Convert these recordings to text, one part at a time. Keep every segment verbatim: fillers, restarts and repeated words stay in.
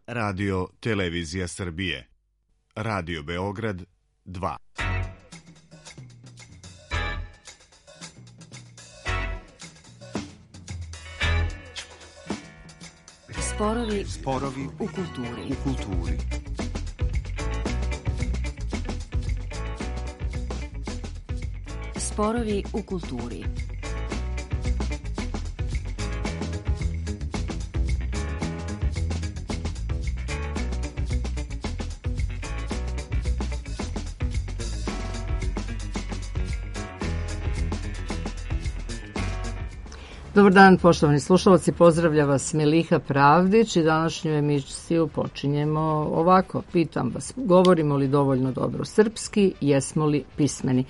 Radio Televizija Srbije. Radio Beograd dva. Sporovi, Sporovi u kulturi. U kulturi. Sporovi u kulturi. Dobar dan, poštovani slušalci, pozdravlja vas Miliha Pravdić i današnju emisiju počinjemo ovako. Pitam vas, govorimo li dovoljno dobro srpski, jesmo li pismeni?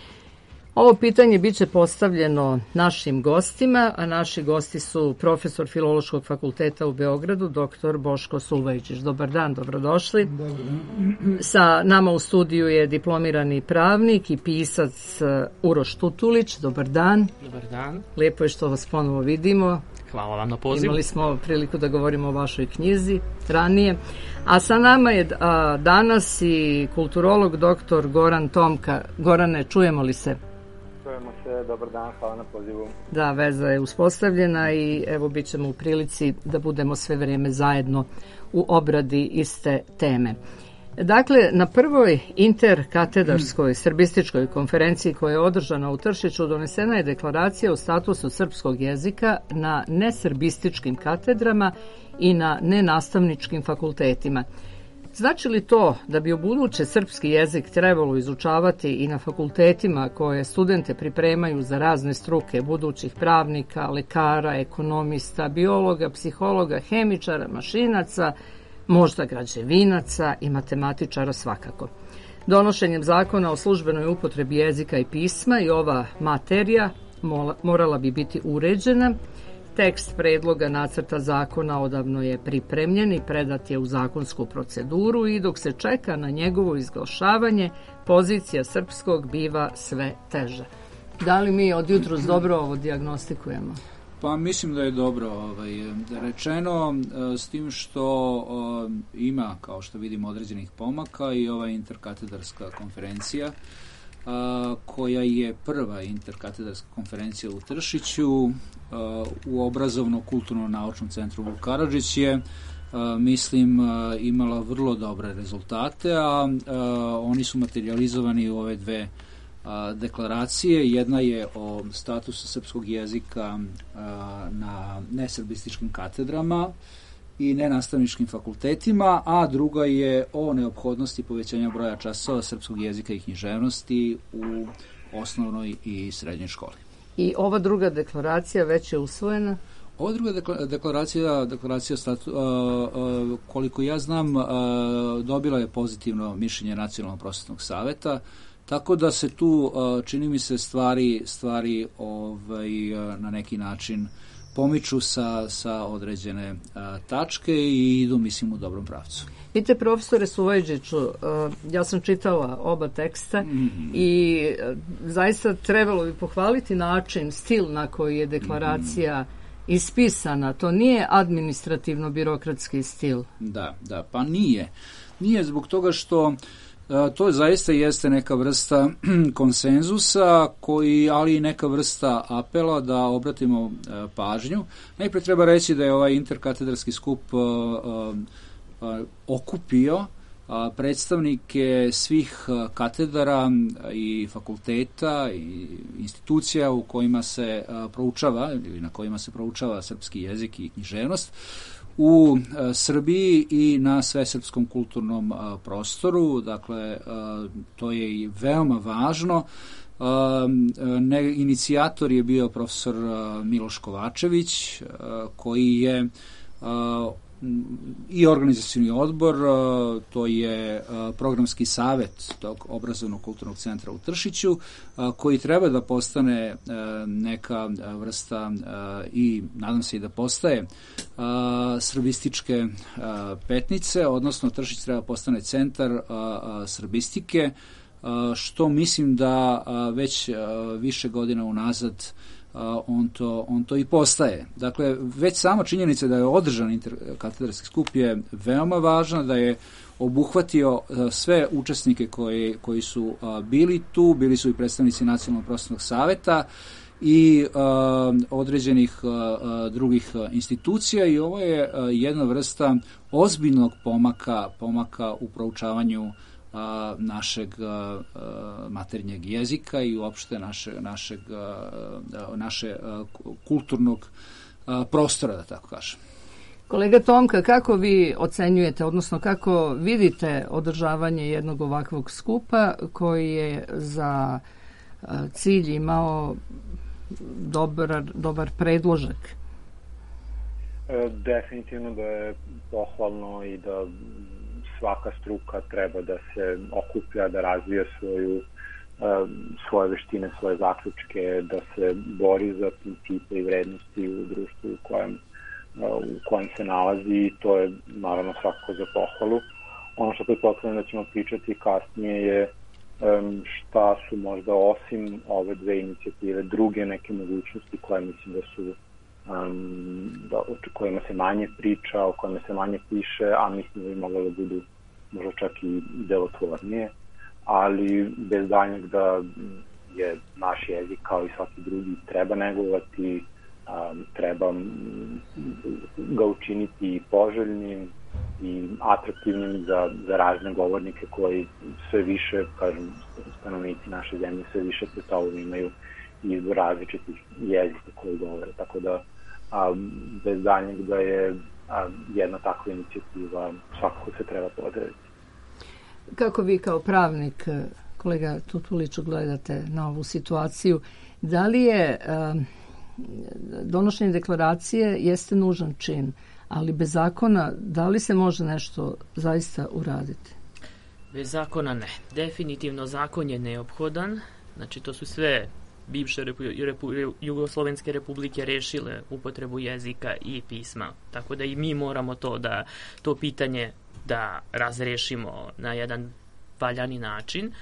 Ovo pitanje bit će postavljeno našim gostima, a naši gosti su profesor Filološkog fakulteta u Beogradu, doktor Boško Sulvajičić. Dobar dan, dobrodošli. Dobar dan. Sa nama u studiju je diplomirani pravnik i pisac Uroš Tutulić. Dobar dan. Dobar dan. Lijepo je što vas ponovo vidimo. Hvala vam na pozivu. Imali smo priliku da govorimo o vašoj knjizi ranije. A sa nama je a, danas i kulturolog doktor Goran Tomka. Gorane, čujemo li se? Čujemo se, dobar dan, hvala na pozivu. Da, veza je uspostavljena i evo bit ćemo u prilici da budemo sve vrijeme zajedno u obradi iste teme. Dakle, na prvoj interkatedarskoj srbističkoj konferenciji koja je održana u Tršiću donesena je deklaracija o statusu srpskog jezika na nesrbističkim katedrama i na nenastavničkim fakultetima. Znači li to da bi ubuduće srpski jezik trebalo izučavati i na fakultetima koje studente pripremaju za razne struke budućih pravnika, lekara, ekonomista, biologa, psihologa, hemičara, mašinaca, možda građevinaca i matematičara svakako? Donošenjem zakona o službenoj upotrebi jezika i pisma i ova materija morala bi biti uređena. Tekst predloga nacrta zakona odavno je pripremljen i predat je u zakonsku proceduru i dok se čeka na njegovo izglašavanje, pozicija srpskog biva sve teža. Da li mi od jutros dobro ovo dijagnostikujemo? Pa mislim da je dobro ovaj, rečeno, s tim što o, ima, kao što vidimo, određenih pomaka i ova interkatedarska konferencija, a, koja je prva interkatedarska konferencija u Tršiću a, u obrazovno-kulturno-naučnom centru Vuk Karadžić je, a, mislim, a, imala vrlo dobre rezultate, a, a oni su materializovani u ove dve a, deklaracije. Jedna je o statusu srpskog jezika a, na nesrbističkim katedrama i nenastavničkim fakultetima, a druga je o neophodnosti povećanja broja časova srpskog jezika i književnosti u osnovnoj i srednjoj školi. I ova druga deklaracija već je usvojena? Ova druga deklaracija, deklaracija statu, uh, uh, koliko ja znam, uh, dobila je pozitivno mišljenje Nacionalnog prosvetnog saveta, tako da se tu, uh, čini mi se, stvari, stvari ovaj, uh, na neki način pomiču sa, sa određene a, tačke i idu, mislim, u dobrom pravcu. Vidite, profesore Sulvajičiću, ja sam čitala oba teksta mm-hmm. i zaista trebalo bi pohvaliti način, stil na koji je deklaracija mm-hmm. ispisana. To nije administrativno-birokratski stil. Da, da, pa nije. Nije zbog toga što to zaista jeste neka vrsta konsenzusa, koji, ali i neka vrsta apela da obratimo pažnju. Najprije treba reći da je ovaj interkatedarski skup uh, uh, okupio uh, predstavnike svih katedara i fakulteta i institucija u kojima se uh, proučava ili na kojima se proučava srpski jezik i književnost u a, Srbiji i na svesrpskom kulturnom a, prostoru. Dakle, a, to je i veoma važno. A, ne, inicijator je bio profesor a, Miloš Kovačević, a, koji je a, i organizacioni odbor, a, to je a, programski savet tog obrazovnog kulturnog centra u Tršiću, a, koji treba da postane a, neka vrsta a, i nadam se i da postaje a, srbističke a, petnice, odnosno Tršić treba postane centar a, a, srbistike, a, što mislim da a, već a, više godina unazad on to, on to i postaje. Dakle, već sama činjenica da je održan interkatedarski skup je veoma važna, da je obuhvatio sve učesnike koji, koji su bili tu, bili su i predstavnici Nacionalnog prosvetnog saveta i uh, određenih uh, drugih institucija i ovo je uh, jedna vrsta ozbiljnog pomaka, pomaka u proučavanju uh, našeg uh, maternjeg jezika i uopšte naše, našeg, uh, naše uh, kulturnog uh, prostora, da tako kažem. Kolega Tomka, kako vi ocenjujete, odnosno kako vidite održavanje jednog ovakvog skupa koji je za uh, cilj imao dobar, dobar predložak? Definitivno da je pohvalno i da svaka struka treba da se okuplja, da razvija svoju, svoje veštine, svoje zaključke, da se bori za principe i vrednosti u društvu u kojem, u kojem se nalazi i to je naravno svakako za pohvalu. Ono što pretpostavljam da ćemo pričati kasnije je šta su možda osim ove dve inicijative druge neke mogućnosti koje mislim da su um, da, o kojima se manje priča, o kojima se manje piše, a mislim da bi moglo da budu možda čak i delotvornije, ali bez daljnjeg da je naš jezik kao i svaki drugi treba negovati, um, treba ga učiniti poželjnim i atraktivnim za, za razne govornike koji sve više, kažem, stanovnici naše zemlje sve više pred sobom imaju izbor različitih jezika koji govore. Tako da, a, bez daljnjeg da je a, jedna takva inicijativa svakako se treba pozdraviti. Kako vi kao pravnik, kolega Tutuliću, gledate na ovu situaciju? Da li je a, donošenje deklaracije jeste nužan čin, ali bez zakona, da li se može nešto zaista uraditi? Bez zakona ne. Definitivno zakon je neophodan. Znači, to su sve bivše repu, repu, jugoslovenske republike rešile upotrebu jezika i pisma. Tako da i mi moramo to da to pitanje da razrešimo na jedan valjani način.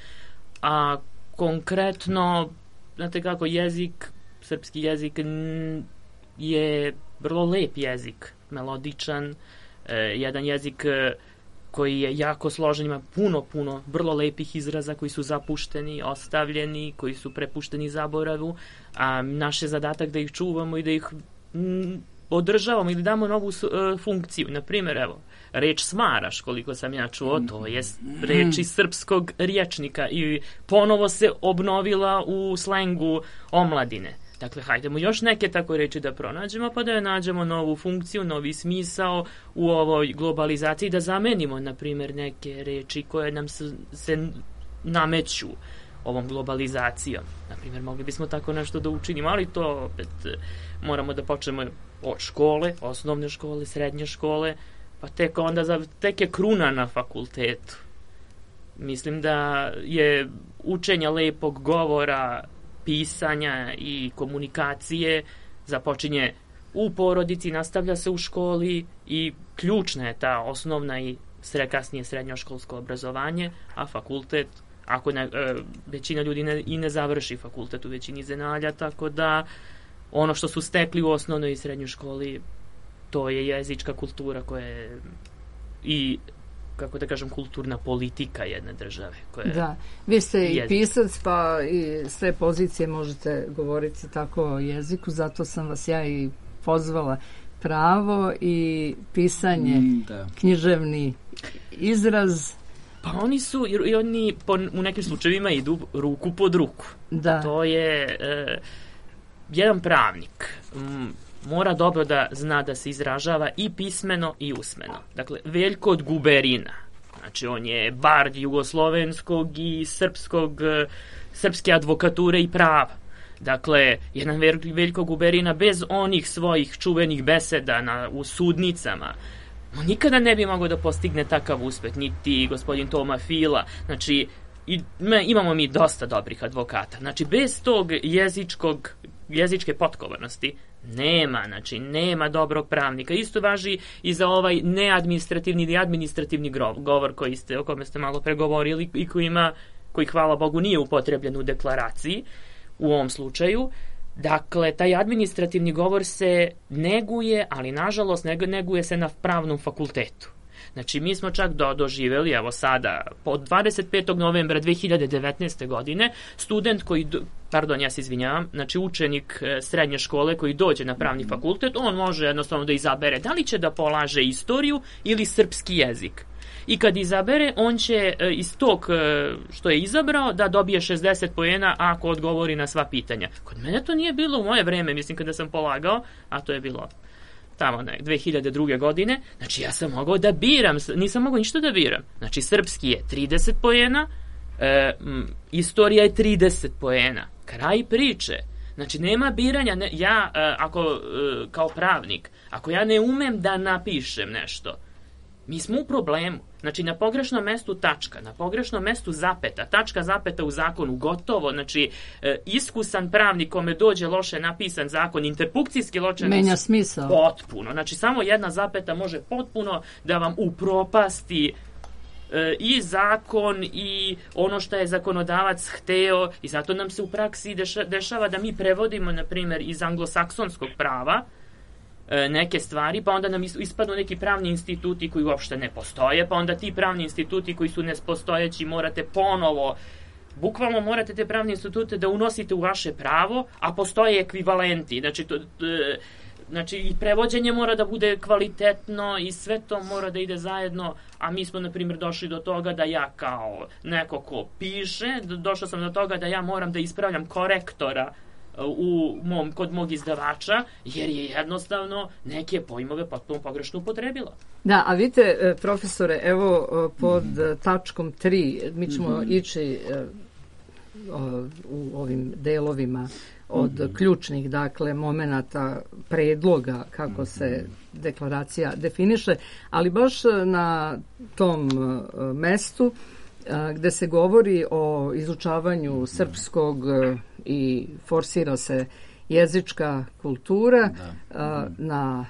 A konkretno, znate kako, jezik, srpski jezik je vrlo lep jezik, melodičan, e, jedan jezik e, koji je jako složen, ima puno, puno vrlo lepih izraza koji su zapušteni, ostavljeni, koji su prepušteni zaboravu, a naš je zadatak da ih čuvamo i da ih m, održavamo ili damo novu e, funkciju. Naprimjer, evo, reč smaraš, koliko sam ja čuo, to je reč iz srpskog rječnika i ponovo se obnovila u slengu omladine. Dakle, hajdemo još neke tako reči da pronađemo, pa da je nađemo novu funkciju, novi smisao u ovoj globalizaciji, da zamenimo, na primjer, neke reči koje nam se, se nameću ovom globalizacijom. Na primjer, mogli bismo tako nešto da učinimo, ali to opet moramo da počnemo od škole, osnovne škole, srednje škole, pa tek onda za, tek je kruna na fakultetu. Mislim da je učenje lepog govora, pisanja i komunikacije započinje u porodici, nastavlja se u školi i ključna je ta osnovna i sre, kasnije srednjoškolsko obrazovanje, a fakultet, ako ne, e, većina ljudi ne, i ne završi fakultet u većini zemalja, tako da ono što su stekli u osnovnoj i srednjoj školi, to je jezička kultura koja je i, kako da kažem, kulturna politika jedne države. Koja da, vi ste jezik. I pisac, pa i sve pozicije možete govoriti tako o jeziku, zato sam vas ja i pozvala. Pravo i pisanje, mm, da. Književni izraz. Pa oni su, i oni po, u nekim slučajevima idu ruku pod ruku. Da. To je e, jedan pravnik m, mora dobro da zna da se izražava i pismeno i usmeno. Dakle, Veljko od Guberina, znači on je bard jugoslovenskog i srpskog, srpske advokature i prava. Dakle, jedan Veljko Guberina bez onih svojih čuvenih beseda na, u sudnicama, on nikada ne bi mogao da postigne takav uspeh, niti gospodin Toma Fila. Znači, i, me, imamo mi dosta dobrih advokata. Znači, bez tog jezičkog, jezičke potkovanosti nema, znači, nema dobrog pravnika. Isto važi i za ovaj neadministrativni ili administrativni govor koji ste, o kome ste malo pregovorili i koji ima, koji, hvala Bogu, nije upotrebljen u deklaraciji u ovom slučaju. Dakle, taj administrativni govor se neguje, ali nažalost neguje se na pravnom fakultetu. Znači, mi smo čak do, doživjeli, evo sada, od dvadeset petog novembra dve hiljade devetnaeste. godine, student koji, pardon, ja se izvinjavam, znači učenik srednje škole koji dođe na pravni fakultet, on može jednostavno da izabere da li će da polaže istoriju ili srpski jezik. I kad izabere, on će iz tog što je izabrao da dobije šezdeset poena ako odgovori na sva pitanja. Kod mene to nije bilo u moje vreme, mislim kada sam polagao, a to je bilo tamo ne, dve hiljade druge. godine, znači ja sam mogao da biram, nisam mogao ništa da biram. Znači srpski je trideset poena, e, m, istorija je trideset poena, kraj priče. Znači nema biranja, ne, ja e, ako e, kao pravnik, ako ja ne umem da napišem nešto, mi smo u problemu. Znači, na pogrešnom mestu tačka, na pogrešnom mestu zapeta, tačka zapeta u zakonu, gotovo. Znači, e, iskusan pravnik kome dođe loše napisan zakon, interpunkcijski loše... Menja smisao. Potpuno. Znači, samo jedna zapeta može potpuno da vam upropasti e, i zakon i ono što je zakonodavac hteo, i zato nam se u praksi deša, dešava da mi prevodimo, na primjer, iz anglosaksonskog prava neke stvari, pa onda nam ispadnu neki pravni instituti koji uopšte ne postoje, pa onda ti pravni instituti koji su nespostojeći morate ponovo, bukvalno morate te pravne institute da unosite u vaše pravo, a postoje ekvivalenti. Znači, to, znači i prevođenje mora da bude kvalitetno i sve to mora da ide zajedno, a mi smo, na primjer, došli do toga da ja kao neko ko piše, došao sam do toga da ja moram da ispravljam korektora u mom, kod mog izdavača, jer je jednostavno neke pojmove potpuno pogrešno upotrebila. Da, a vidite, profesore, evo pod mm. tačkom tri, mi ćemo mm-hmm. ići u ovim delovima od mm-hmm. ključnih, dakle, momenata predloga kako mm-hmm. se deklaracija definiše, ali baš na tom mestu gde se govori o izučavanju srpskog i forsira se jezička kultura da. na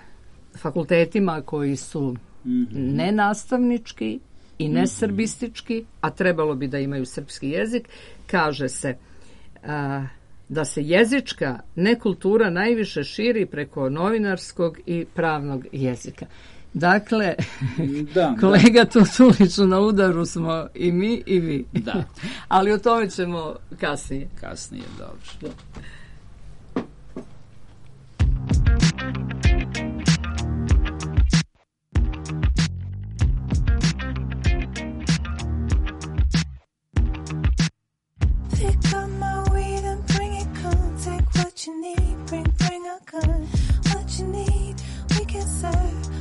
fakultetima koji su mm-hmm. nenastavnički i nesrbistički, a trebalo bi da imaju srpski jezik, kaže se a, da se jezička nekultura najviše širi preko novinarskog i pravnog jezika. Dakle, da, kolega da. Tutuliću, na udaru smo i mi i vi. Da. Ali o tome ćemo kasnije. Kasnije, dobro. Da. Pick up my weed and bring it, come take what you need, bring, bring a gun, what you need, we can serve.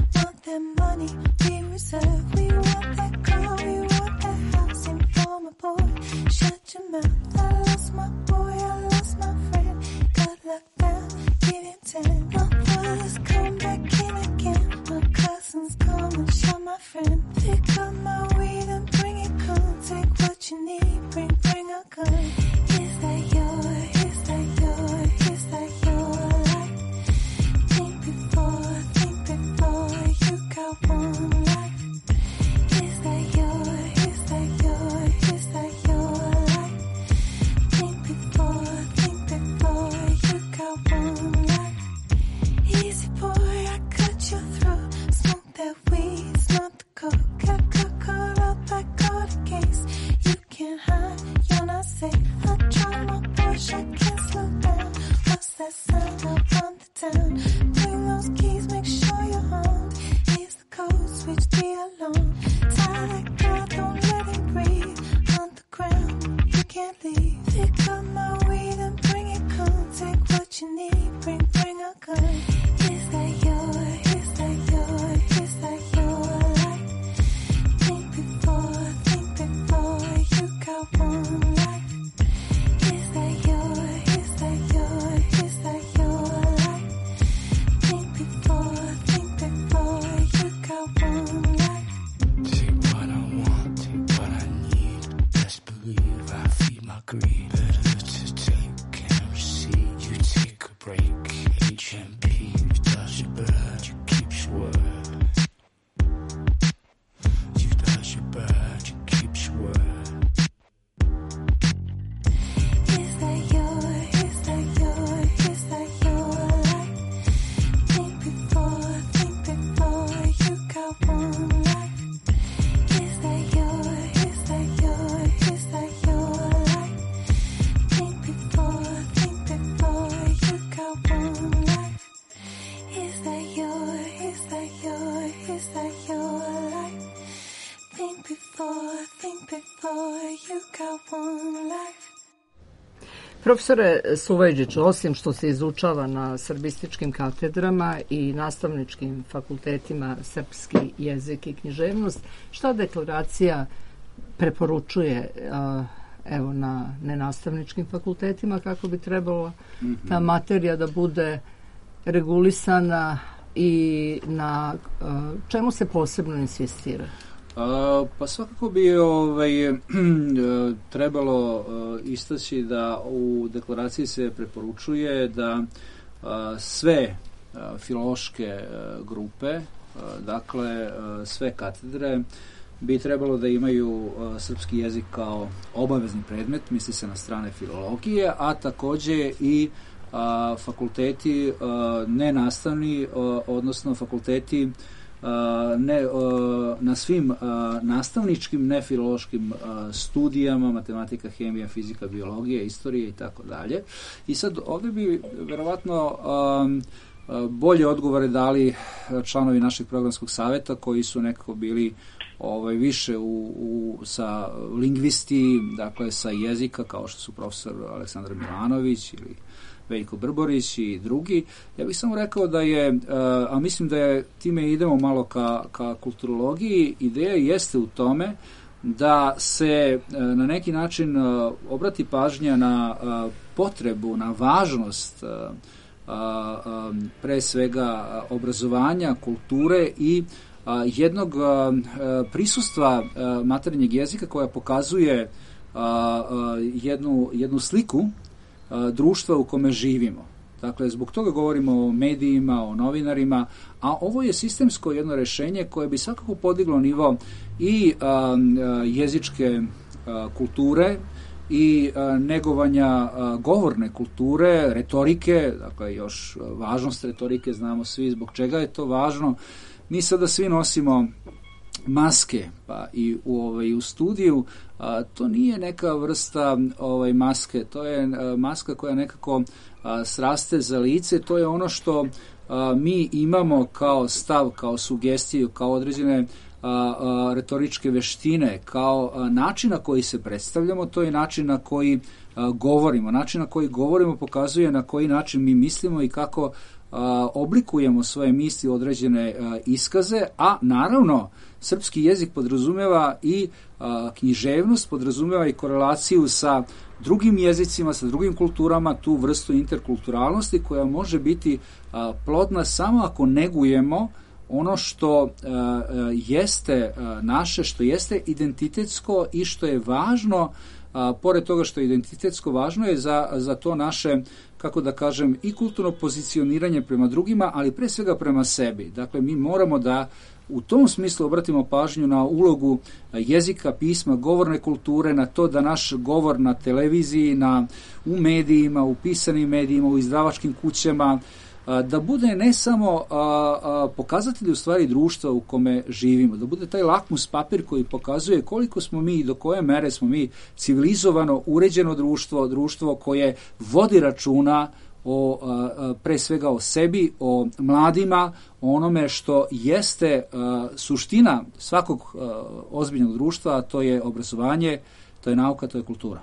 That money we reserve. We want that car, we want that house. And for my boy, shut your mouth. I lost my boy, I lost my friend. Got locked down, getting ten. My brothers come back in again. My cousins come and show my friend. Pick up my weed and bring it, come take what you need. Bring, bring a gun. Is that your, is that your, is that your life? Think before, think before you got one life. Is that your, is that your, is that your life? Think before, think before you got one life. Easy boy, I cut your throat. Smoke that weed, smoke the coke, I cook think before, think before you got one life. Profesore Suvajđiću, osim što se izučava na srbističkim katedrama i nastavničkim fakultetima srpski jezik i književnost, šta deklaracija preporučuje a, evo na nenastavničkim fakultetima, kako bi trebalo ta materija da bude regulisana i na a, čemu se posebno insistira? A, pa svakako bi ovaj, trebalo istaći da u deklaraciji se preporučuje da a, sve a, filološke a, grupe, a, dakle a, sve katedre bi trebalo da imaju a, srpski jezik kao obavezni predmet, misli se na strane filologije, a takođe i a, fakulteti a, nenastavni, a, odnosno fakulteti Uh, ne, uh, na svim uh, nastavničkim, nefilološkim uh, studijama, matematika, hemija, fizika, biologija, istorija i tako dalje. I sad ovdje bi verovatno um, bolje odgovore dali članovi našeg programskog saveta koji su nekako bili ovaj, više u, u, sa lingvisti, dakle sa jezika, kao što su profesor Aleksandar Milanović ili Veljko Brborić i drugi. Ja bih samo rekao da je, a mislim da je, time idemo malo ka, ka kulturologiji, ideja jeste u tome da se na neki način obrati pažnja na potrebu, na važnost pre svega obrazovanja, kulture i jednog prisustva maternjeg jezika koja pokazuje jednu, jednu sliku društva u kome živimo. Dakle, zbog toga govorimo o medijima, o novinarima, a ovo je sistemsko jedno rešenje koje bi svakako podiglo nivo i a, jezičke a, kulture i a, negovanja a, govorne kulture, retorike, dakle još važnost retorike znamo svi zbog čega je to važno. Mi sada svi nosimo maske, pa i u, ovaj, u studiju, a, to nije neka vrsta ovaj, maske, to je a, maska koja nekako a, sraste za lice, to je ono što a, mi imamo kao stav, kao sugestiju, kao određene a, a, retoričke veštine, kao a, način na koji se predstavljamo, to je način na koji a, govorimo. Način na koji govorimo pokazuje na koji način mi mislimo i kako a, oblikujemo svoje misli u određene a, iskaze, a naravno srpski jezik podrazumeva i a, književnost, podrazumeva i korelaciju sa drugim jezicima, sa drugim kulturama, tu vrstu interkulturalnosti koja može biti a, plodna samo ako negujemo ono što a, jeste a, naše, što jeste identitetsko i što je važno, a, pored toga što je identitetsko, važno je za, za to naše, kako da kažem, i kulturno pozicioniranje prema drugima, ali pre svega prema sebi. Dakle, mi moramo da u tom smislu obratimo pažnju na ulogu jezika, pisma, govorne kulture, na to da naš govor na televiziji, na, u medijima, u pisanim medijima, u izdavačkim kućama, da bude ne samo pokazatelj u stvari društva u kome živimo, da bude taj lakmus papir koji pokazuje koliko smo mi i do koje mere smo mi civilizovano, uređeno društvo, društvo koje vodi računa o, a, pre svega o sebi, o mladima, o onome što jeste a, suština svakog a, ozbiljnog društva, a to je obrazovanje, to je nauka, to je kultura.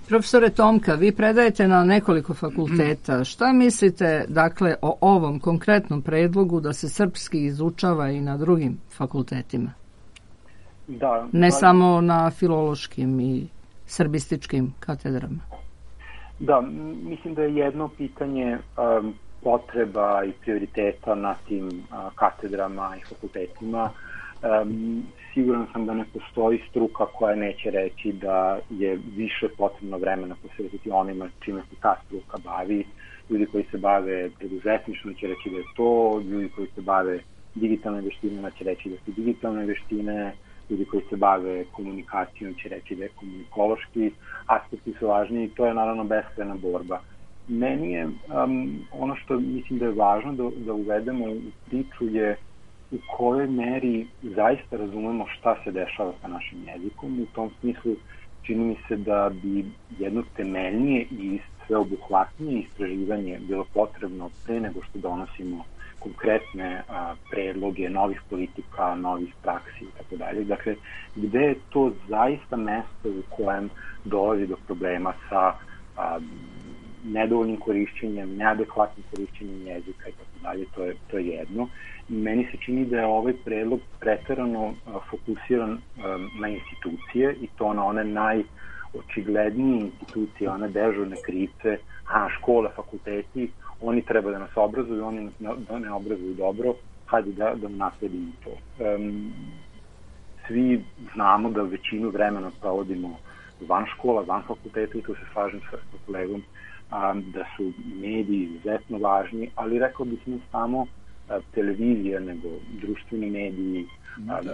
Profesore Tomka, vi predajete na nekoliko fakulteta. Šta mislite, dakle, o ovom konkretnom predlogu da se srpski izučava i na drugim fakultetima? Da. Ne ali... samo na filološkim i srbističkim katedrama. Da, mislim da je jedno pitanje um, potreba i prioriteta na tim uh, katedrama i fakultetima. Um, siguran sam da ne postoji struka koja neće reći da je više potrebno vremena posvetiti onima čime se ta struka bavi. Ljudi koji se bave preduzetništvom će reći da je to, ljudi koji se bave digitalne veštinama će reći da su digitalne veštine, ljudi koji se bave komunikacijom će reći da je komunikološki aspekti su važni i to je naravno beskrajna borba. Meni je um, ono što mislim da je važno da, da uvedemo u priču je u kojoj meri zaista razumemo šta se dešava sa našim jezikom. U tom smislu čini mi se da bi jedno temeljnije i sveobuhvatnije istraživanje bilo potrebno pre nego što donosimo konkretne a, predloge novih politika, novih praksi i tako dalje. Dakle, gde je to zaista mesto u kojem dolazi do problema sa a, nedovoljnim korišćenjem, neadekvatnim korišćenjem jezika i tako dalje, to je, to je jedno. Meni se čini da je ovaj predlog preterano a, fokusiran a, na institucije i to na one najočiglednije institucije, one dežurne krivce, a škole, fakulteti, oni treba da nas obrazuju, oni nas ne obrazuju dobro, hajde da, da nasledimo to. Um, svi znamo da većinu vremena provodimo van škola, van fakulteta i tu se slažem sa kolegom, um, da su mediji izuzetno važni, ali rekao bih ne samo uh, televizija, nego društveni mediji, uh,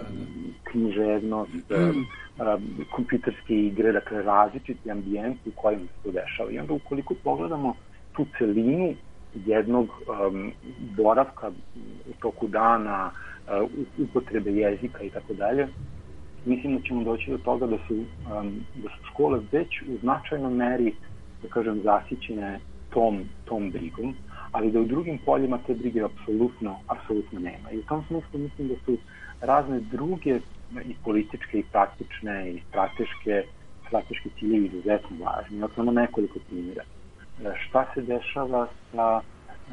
književnost, uh, uh, kompjuterske igre, dakle različiti ambijenti u kojima se to dešava. I onda ukoliko pogledamo tu celinu jednog um, boravka u toku dana, uh, upotrebe jezika i tako dalje, mislim da ćemo doći do toga da su, um, da su škole već u značajnoj meri, da kažem, zasićene tom, tom brigom, ali da u drugim poljima te brige apsolutno, apsolutno nema. I u tom smislu mislim da su razne druge i političke i praktične i strateške, strateški ciljevi izuzetno važni. Dakle, samo nekoliko primjera. Šta se dešava sa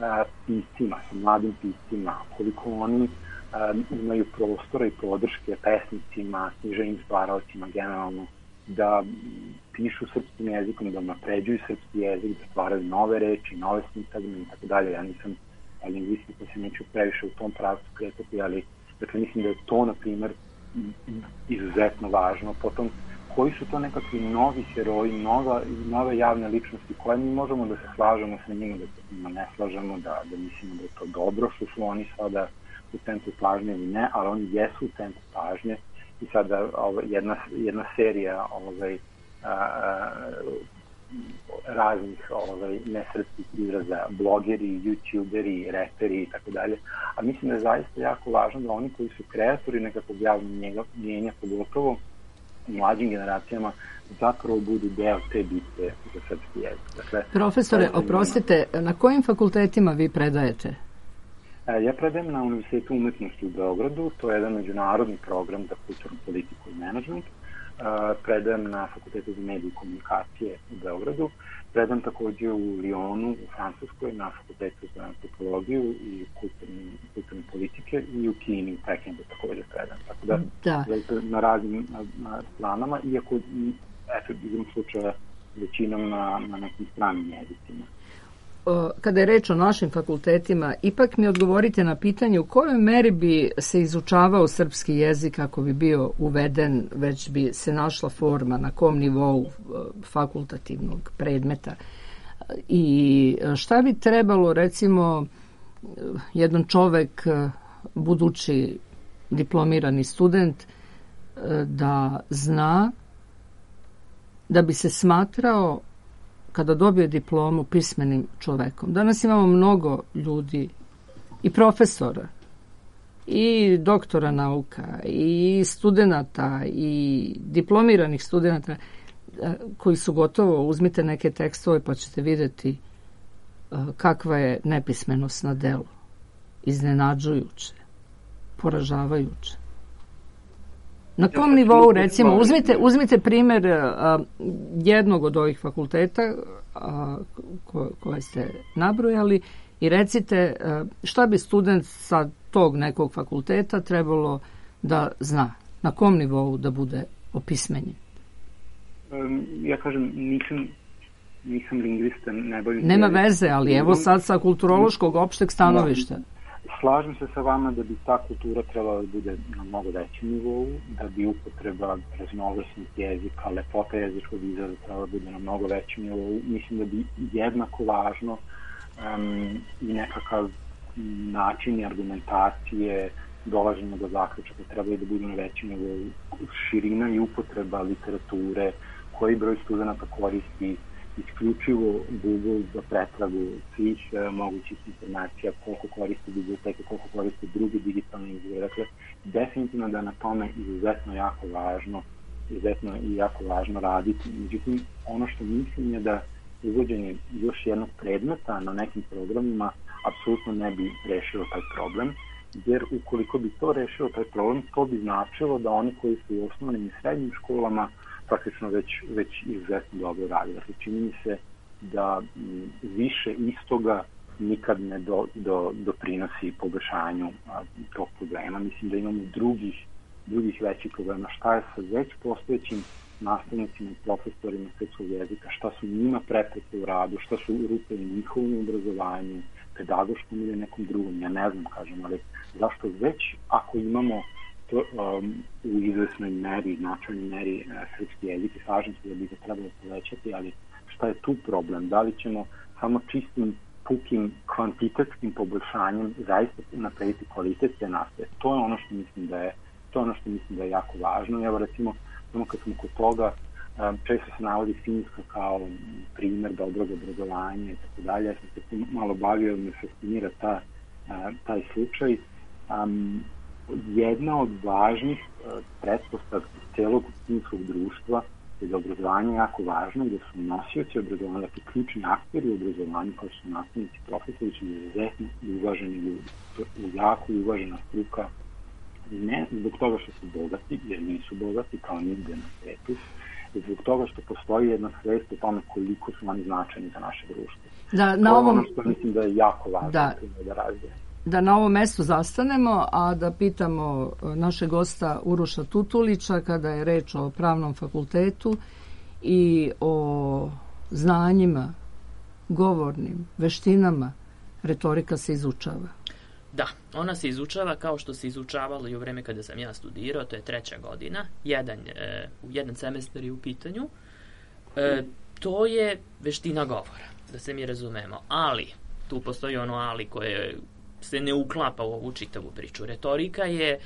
a, piscima, sa mladim piscima, koliko oni a, imaju prostora i podrške pesnicima, književnim stvaralcima generalno, da pišu srpskim jezikom, da napređuju srpski jezik, da stvaraju nove reči, nove sintagme i tako dalje. Ja nisam lingvista, pa se neću previše u tom pravcu kretati, ali dakle, mislim da je to, na primer, izuzetno važno. Potom, koji su to nekakvi novi heroji, nova, nove javne ličnosti koje mi možemo da se slažemo sa njima, da se njima ne slažemo, da, da mislimo da je to dobro što su oni sada u centru pažnje ili ne, ali oni jesu u centru pažnje i sada ova, jedna, jedna serija ovaj, a, a, raznih ovaj, nesrpskih izraza, blogeri, youtuberi, reperi i tako dalje, a mislim da je zaista jako važno da oni koji su kreatori nekakvog javnog mjenja, pogotovo u mlađim generacijama, zapravo budu deo te bitke za srpski jezik. Dakle, profesore, oprostite, na kojim fakultetima vi predajete? Ja predajem na Univerzitetu umetnosti u Beogradu, to je jedan međunarodni program za kulturnu politiku i menadžment. Predajem na Fakultetu za medije i komunikacije u Beogradu. Predajem takođe u Lyonu, u Francuskoj, na Fakultetu za antropologiju i kulturne, kulturne politike i u Kini, u Pekingu takođe predajem. Tako da, da. na raznim na, na stranama, iako, eto, izvom slučaja, većinom na, na nekim stranim jezicima. Kada je reč o našim fakultetima, ipak mi odgovorite na pitanje u kojoj meri bi se izučavao srpski jezik ako bi bio uveden, već bi se našla forma na kom nivou fakultativnog predmeta. I šta bi trebalo, recimo, jedan čovek, budući diplomirani student, da zna da bi se smatrao kada dobije diplomu pismenim čovekom. Danas imamo mnogo ljudi i profesora i doktora nauka i studenata i diplomiranih studenata koji su gotovo, uzmite neke tekstove pa ćete vidjeti kakva je nepismenost na delu. Iznenađujuće, poražavajuće. Na kom nivou, recimo, uzmite, uzmite primjer a, jednog od ovih fakulteta a, ko, koje ste nabrojali i recite a, šta bi student sa tog nekog fakulteta trebalo da zna, na kom nivou da bude opismenjen. Um, ja kažem, nisam, nisam lingvista, ne bavim... Nema veze, ali evo sad sa kulturološkog opšteg stanovišta. Slažem se sa vama da bi ta kultura trebala da bude na mnogo većem nivou, da bi upotreba raznovrsnih jezika, lepota jezičkog izraza trebala da bude na mnogo većem nivou. Mislim da bi jednako važno um, i nekakav način i argumentacije, dolaženja do zaključaka trebali da budu na većem nivou. Širina i upotreba literature, koji broj studenta koristi isključivo Google za pretragu svih uh, mogućih informacija, koliko koristi biblioteke, koliko koristi druge digitalne izvore. Dakle, definitivno da na tome izuzetno jako važno, izuzetno i jako važno raditi. Međutim, ono što mislim je da uvođenje još jednog predmeta na nekim programima apsolutno ne bi rešilo taj problem, jer ukoliko bi to rešilo taj problem, to bi značilo da oni koji su u osnovnim i srednjim školama praktično već, već izuzetno dobro radi. Dakle, čini mi se da m, više istoga nikad ne do, do, doprinosi poboljšanju a, tog problema. Mislim da imamo drugih, drugih većih problema. Šta je sa već postojećim nastavnicima i profesorima srpskog jezika, šta su njima prepreke u radu, šta su rupe u njihovom obrazovanju, pedagoškom ili nekom drugom, ja ne znam, kažem, ali zašto već ako imamo to, um, u izvesnoj meri, značajnoj meri uh, srpski jezik i slažem se da bi ga trebalo povećati, ali šta je tu problem? Da li ćemo samo čistim, pukim, kvantitetskim poboljšanjem zaista naprediti kvalitet te nastave? To je ono što mislim da je, to je ono što mislim da je jako važno. Evo recimo, samo kad smo kod toga, um, često se navodi Finjska kao primer dobrog obrazovanja i tako dalje. Ja sam se tu malo bavio, me fascinira ta, uh, taj slučaj. Um, jedna od važnih uh, pretpostavki celog finskog društva je da obrazovanje je jako važno i da su nosioci obrazovanja, dakle ključni akteri u obrazovanju kao su nastavnici, profesori, su izuzetno uvaženi ljudi. To je jako uvažena struka, ne zbog toga što su bogati, jer nisu bogati kao nigde na svetu, zbog toga što postoji jedna svest o tome koliko su oni značajni za naše društvo. Da, to na je ovom... ono što mislim da je jako važno da, da razvije. Da na ovom mestu zastanemo, a da pitamo našeg gosta Uroša Tutulića kada je reč o pravnom fakultetu i o znanjima, govornim, veštinama, retorika se izučava. Da, ona se izučava kao što se izučavalo i u vreme kada sam ja studirao, to je treća godina, jedan, e, jedan semestar je u pitanju. E, to je veština govora, da se mi razumemo, ali, tu postoji ono ali koje se ne uklapa u ovu čitavu priču. Retorika je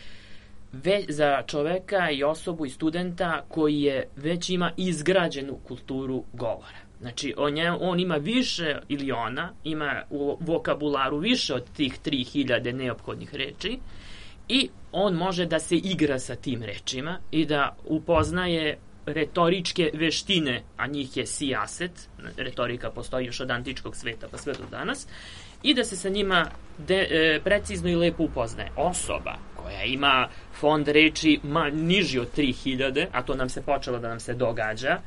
ve, za čoveka i osobu i studenta koji je već ima izgrađenu kulturu govora. Znači, on, je, on ima više, ili ona, ima u vokabularu više od tih tri hiljade neophodnih reči i on može da se igra sa tim rečima i da upoznaje retoričke veštine, a njih je sijaset, retorika postoji još od antičkog sveta pa sve do danas, i da se sa njima de, e, precizno i lepo upoznaje. Osoba koja ima fond reči ma, niži od tri hiljade, a to nam se počelo da nam se događa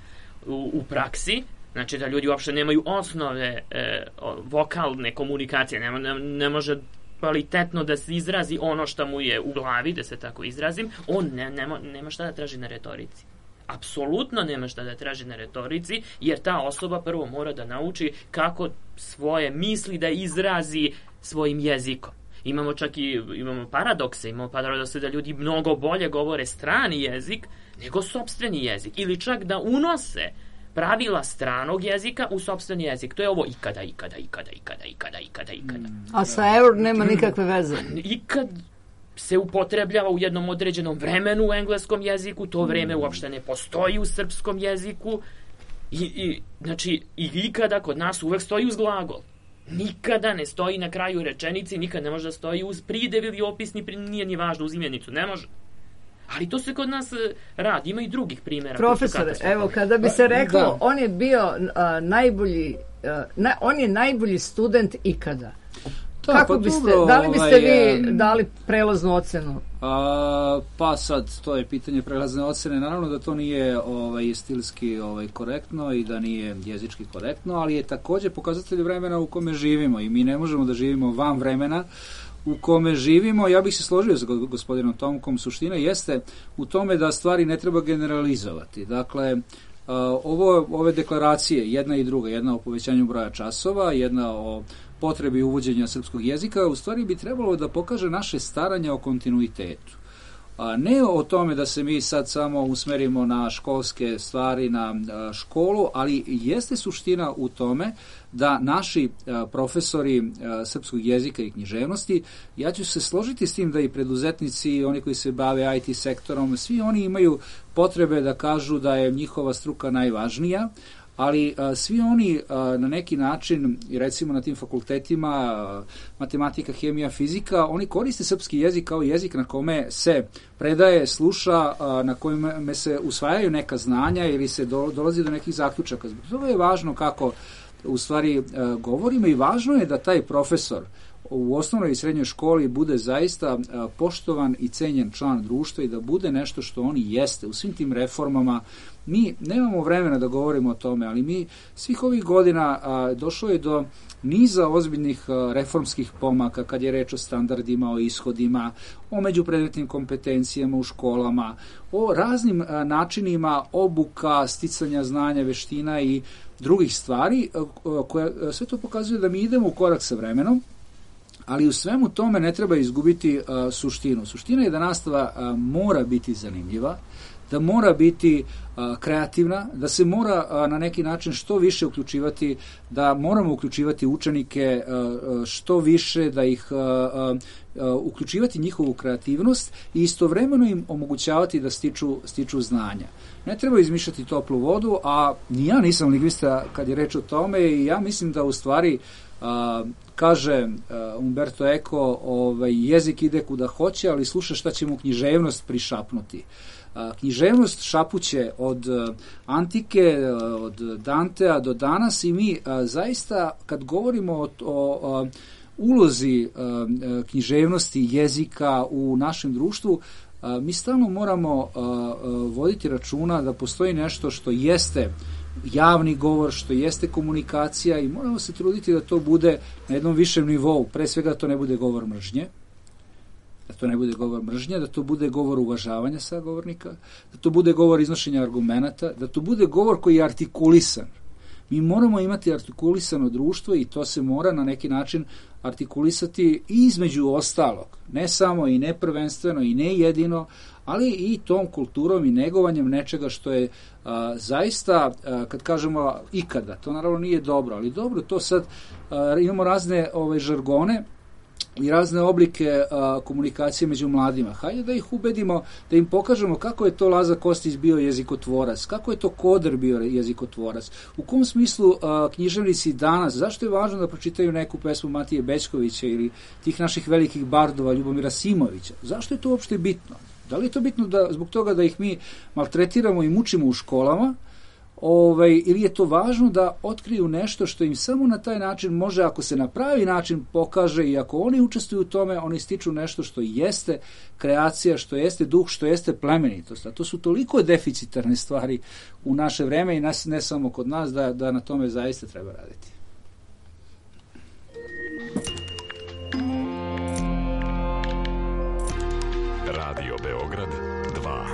u, u praksi, znači da ljudi uopšte nemaju osnove e, vokalne komunikacije, ne, ne, ne može kvalitetno da se izrazi ono što mu je u glavi, da se tako izrazim, on ne, nema, nema šta da traži na retorici. Apsolutno nema šta da traži na retorici, jer ta osoba prvo mora da nauči kako svoje misli da izrazi svojim jezikom. Imamo čak i imamo paradokse, imamo paradokse da ljudi mnogo bolje govore strani jezik nego sopstveni jezik, ili čak da unose pravila stranog jezika u sopstveni jezik. To je ovo ikada, ikada, ikada, ikada, ikada, ikada, ikada. A sa eur nema nikakve veze. Ikad se upotrebljava u jednom određenom vremenu u engleskom jeziku, to vreme uopšte ne postoji u srpskom jeziku i, i znači i ikada kod nas uvek stoji uz glagol. Nikada ne stoji na kraju rečenici, nikad ne može da stoji uz pridev ili opisni, nije ni važno uz imenicu, ne može. Ali to se kod nas radi, ima i drugih primjera. Profesore, evo kada bi se reklo, da. on je bio a, najbolji, a, na, on je najbolji student ikada. Da, Kako pa biste, dobro, da li biste ovaj, vi dali prelaznu ocenu? A, pa sad, to je pitanje prelazne ocene. Naravno da to nije ovaj, stilski ovaj, korektno i da nije jezički korektno, ali je također pokazatelj vremena u kome živimo i mi ne možemo da živimo van vremena u kome živimo. Ja bih se složio sa gospodinom Tomkom, suština jeste u tome da stvari ne treba generalizovati. Dakle, ovo, ove deklaracije, jedna i druga, jedna o povećanju broja časova, jedna o potrebi uvođenja srpskog jezika, u stvari bi trebalo da pokaže naše staranje o kontinuitetu. A ne o tome da se mi sad samo usmerimo na školske stvari, na školu, ali jeste suština u tome da naši profesori srpskog jezika i književnosti, ja ću se složiti s tim da i preduzetnici, oni koji se bave I T sektorom, svi oni imaju potrebe da kažu da je njihova struka najvažnija, ali a, svi oni a, na neki način, recimo na tim fakultetima, a, matematika, hemija, fizika, oni koriste srpski jezik kao jezik na kome se predaje, sluša, a, na kojima se usvajaju neka znanja ili se do, dolazi do nekih zaključaka. Zbog toga je važno kako u stvari govorimo i važno je da taj profesor u osnovnoj i srednjoj školi bude zaista poštovan i cenjen član društva i da bude nešto što on i jeste u svim tim reformama. Mi nemamo vremena da govorimo o tome, ali mi svih ovih godina a, došlo je do niza ozbiljnih a, reformskih pomaka kad je reč o standardima, o ishodima, o međupredmetnim kompetencijama u školama, o raznim a, načinima obuka, sticanja znanja, veština i drugih stvari a, koja a, sve to pokazuje da mi idemo u korak sa vremenom. Ali u svemu tome ne treba izgubiti a, suštinu. Suština je da nastava a, mora biti zanimljiva, da mora biti a, kreativna, da se mora a, na neki način što više uključivati, da moramo uključivati učenike a, a, što više, da ih a, a, a, uključivati njihovu kreativnost i istovremeno im omogućavati da stiču, stiču znanja. Ne treba izmišljati toplu vodu, a ni ja nisam lingvista kad je reč o tome i ja mislim da u stvari a, kaže uh, Umberto Eco, ovaj, jezik ide kuda hoće, ali sluša šta će mu književnost prišapnuti. Uh, književnost šapuće od uh, antike, uh, od Dantea do danas i mi uh, zaista kad govorimo o, o uh, ulozi uh, književnosti jezika u našem društvu, uh, mi stalno moramo uh, uh, voditi računa da postoji nešto što jeste javni govor, što jeste komunikacija i moramo se truditi da to bude na jednom višem nivou. Pre svega da to ne bude govor mržnje, da to ne bude govor mržnje, da to bude govor uvažavanja sagovornika, da to bude govor iznošenja argumenata, da to bude govor koji je artikulisan. Mi moramo imati artikulisano društvo i to se mora na neki način artikulisati i između ostalog, ne samo i ne prvenstveno i ne jedino, ali i tom kulturom i negovanjem nečega što je a, zaista, a, kad kažemo ikada, to naravno nije dobro, ali dobro, to sad a, imamo razne ove žargone i razne oblike a, komunikacije među mladima. Hajde da ih ubedimo, da im pokažemo kako je to Laza Kostić bio jezikotvorac, kako je to Koder bio jezikotvorac, u kom smislu a, književnici danas, zašto je važno da pročitaju neku pesmu Matije Bećkovića ili tih naših velikih bardova Ljubomira Simovića, zašto je to uopšte bitno? Da li je to bitno da, zbog toga da ih mi maltretiramo i mučimo u školama, ovaj, ili je to važno da otkriju nešto što im samo na taj način može, ako se na pravi način pokaže i ako oni učestvuju u tome, oni stiču nešto što jeste kreacija, što jeste duh, što jeste plemenitost. A to su toliko deficitarne stvari u naše vreme i nas, ne samo kod nas, da, da na tome zaista treba raditi. Radio Beograd dva.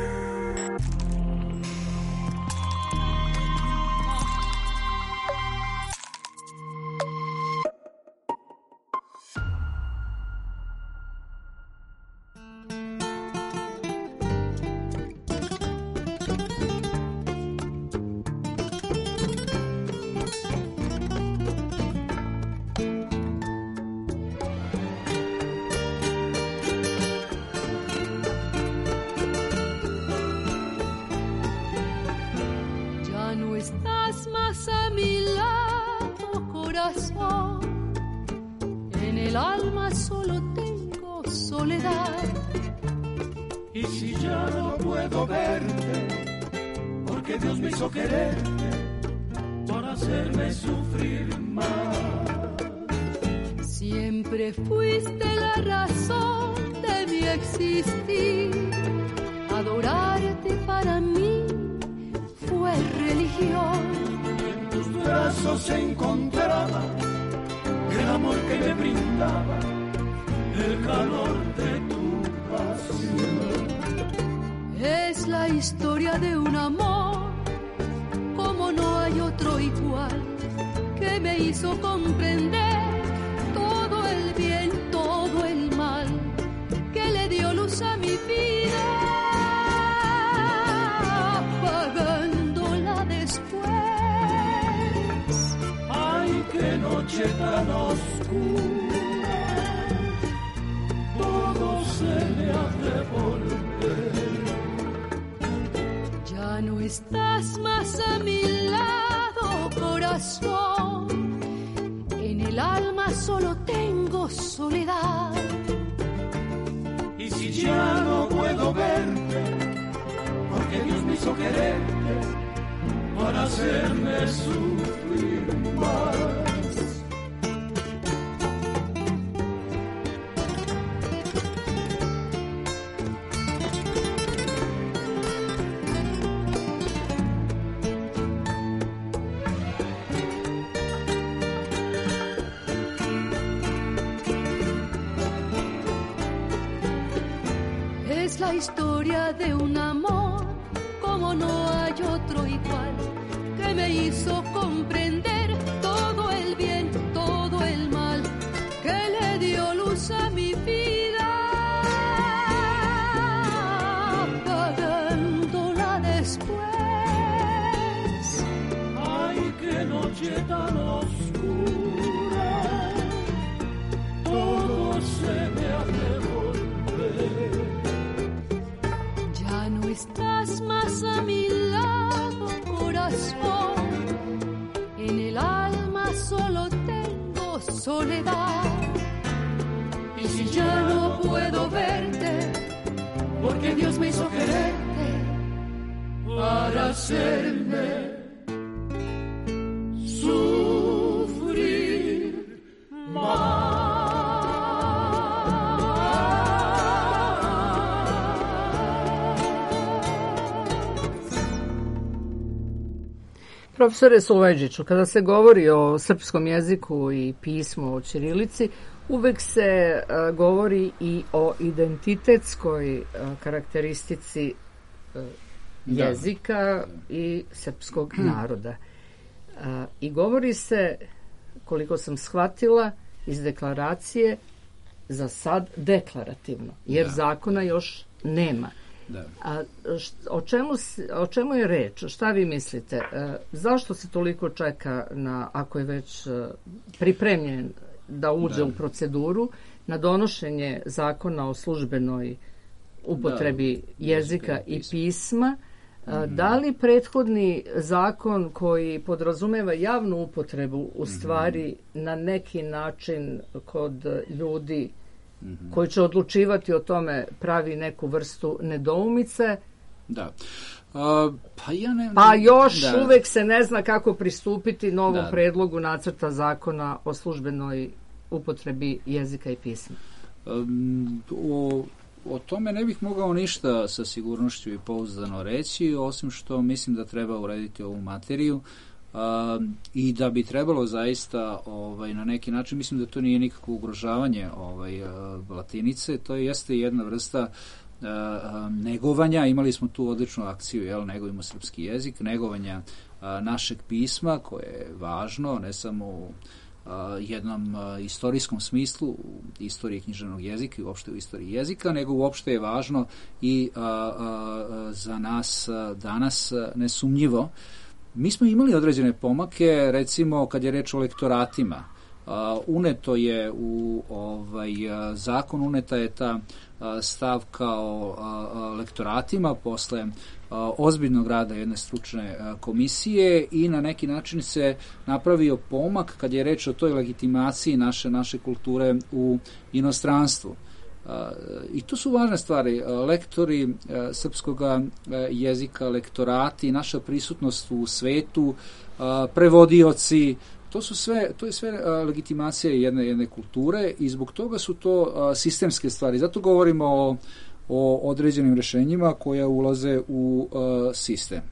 Siempre fuiste la razón de mi existir. Adorarte para mí fue religión. En tus brazos se encontraba el amor que me brindaba, el calor de tu pasión. Es la historia de un amor como no hay otro igual, que me hizo comprender todo el bien, todo el mal, que le dio luz a mi vida, apagándola después. Ay, qué noche tan oscura, todo se me ha de volver. Ya no estás más a mi lado, corazón. En el alma solo tengo soledad. Y si ya no puedo verte, porque Dios me hizo quererte para hacerme sufrir más. Es la historia de un amor como no hay otro igual, que me hizo comprender todo el bien, todo el mal, que le dio luz a mi vida, apagándola después. Ay, qué noche tan oscura, todo se me hace volver. Ya no estás más a mi lado, corazón. En el alma solo tengo soledad. Y si ya no puedo verte, porque Dios me hizo quererte para hacerme sufrir más. Profesore Sulejđiću, kada se govori o srpskom jeziku i pismu, o ćirilici, uvek se uh, govori i o identitetskoj uh, karakteristici uh, jezika da. i srpskog naroda. Uh, I govori se, koliko sam shvatila, iz deklaracije za sad deklarativno, jer da. zakona još nema. Da. A št, o, čemu, o čemu je reč? Šta vi mislite? E, zašto se toliko čeka na, ako je već e, pripremljen da uđe da. u proceduru, na donošenje zakona o službenoj upotrebi da. jezika i pisma? A, mm-hmm. Da li prethodni zakon koji podrazumeva javnu upotrebu u stvari mm-hmm. na neki način kod ljudi Mm-hmm. koji će odlučivati o tome pravi neku vrstu nedoumice? Da. A, pa, ja ne, pa još da. uvek se ne zna kako pristupiti novom da. predlogu nacrta zakona o službenoj upotrebi jezika i pisma. Um, o, o tome ne bih mogao ništa sa sigurnošću i pouzdano reći, osim što mislim da treba urediti ovu materiju. Uh, i da bi trebalo zaista ovaj, na neki način, mislim da to nije nikakvo ugrožavanje ovaj, uh, latinice, to jeste jedna vrsta uh, negovanja. Imali smo tu odličnu akciju, jel, negujemo srpski jezik, negovanja uh, našeg pisma, koje je važno, ne samo u uh, jednom uh, istorijskom smislu, u istoriji književnog jezika i uopšte u istoriji jezika, nego uopšte je važno i uh, uh, za nas uh, danas uh, nesumnjivo. Mi smo imali određene pomake, recimo kad je reč o lektoratima. Uh, uneto je u ovaj uh, zakon, uneta je ta uh, stavka o uh, lektoratima posle uh, ozbiljnog rada jedne stručne uh, komisije i na neki način se napravio pomak kad je reč o toj legitimaciji naše, naše kulture u inostranstvu. Uh, I to su važne stvari. Uh, lektori uh, srpskog uh, jezika, lektorati, naša prisutnost u svetu, uh, prevodioci, to su sve, to je sve uh, legitimacija jedne, jedne kulture i zbog toga su to uh, sistemske stvari. Zato govorimo o, o određenim rešenjima koja ulaze u uh, sistem.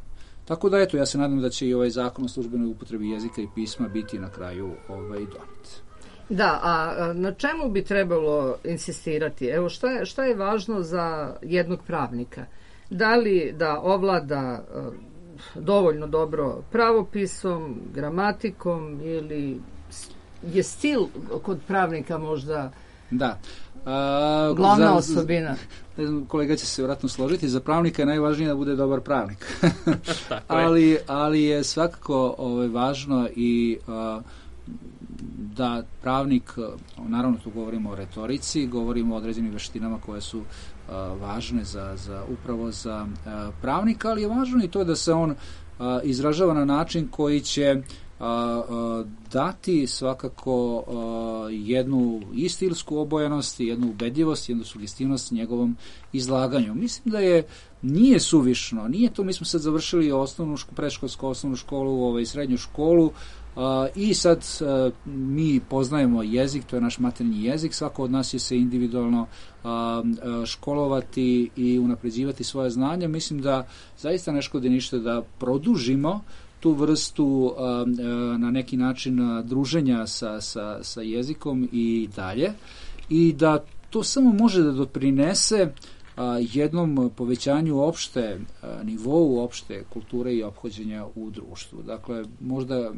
Tako da, eto, ja se nadam da će i ovaj zakon o službenoj upotrebi jezika i pisma biti na kraju ovaj, donet. Da, a na čemu bi trebalo insistirati? Evo, šta je, šta je važno za jednog pravnika? Da li da ovlada uh, dovoljno dobro pravopisom, gramatikom ili je stil kod pravnika možda da. A, glavna za, osobina? Ne znam, kolega će se vjerojatno složiti, za pravnika je najvažnije da bude dobar pravnik. ali, ali je svakako ovaj, važno i uh, da pravnik, naravno tu govorimo o retorici, govorimo o određenim veštinama koje su uh, važne za, za upravo za uh, pravnika, ali je važno i to da se on uh, izražava na način koji će dati svakako jednu i stilsku obojanost, jednu ubedljivost, jednu sugestivnost njegovom izlaganju. Mislim da je nije suvišno, nije to, mi smo sad završili osnovnu školu, predškolsku osnovnu školu, ovaj, srednju školu, Uh, i sad uh, mi poznajemo jezik, to je naš maternji jezik, svako od nas će se individualno uh, uh, školovati i unapređivati svoje znanje. Mislim da zaista ne škodi ništa da produžimo tu vrstu uh, uh, na neki način uh, druženja sa, sa, sa jezikom i dalje, i da to samo može da doprinese jednom povećanju opšte nivou, opšte kulture i ophođenja u društvu. Dakle, možda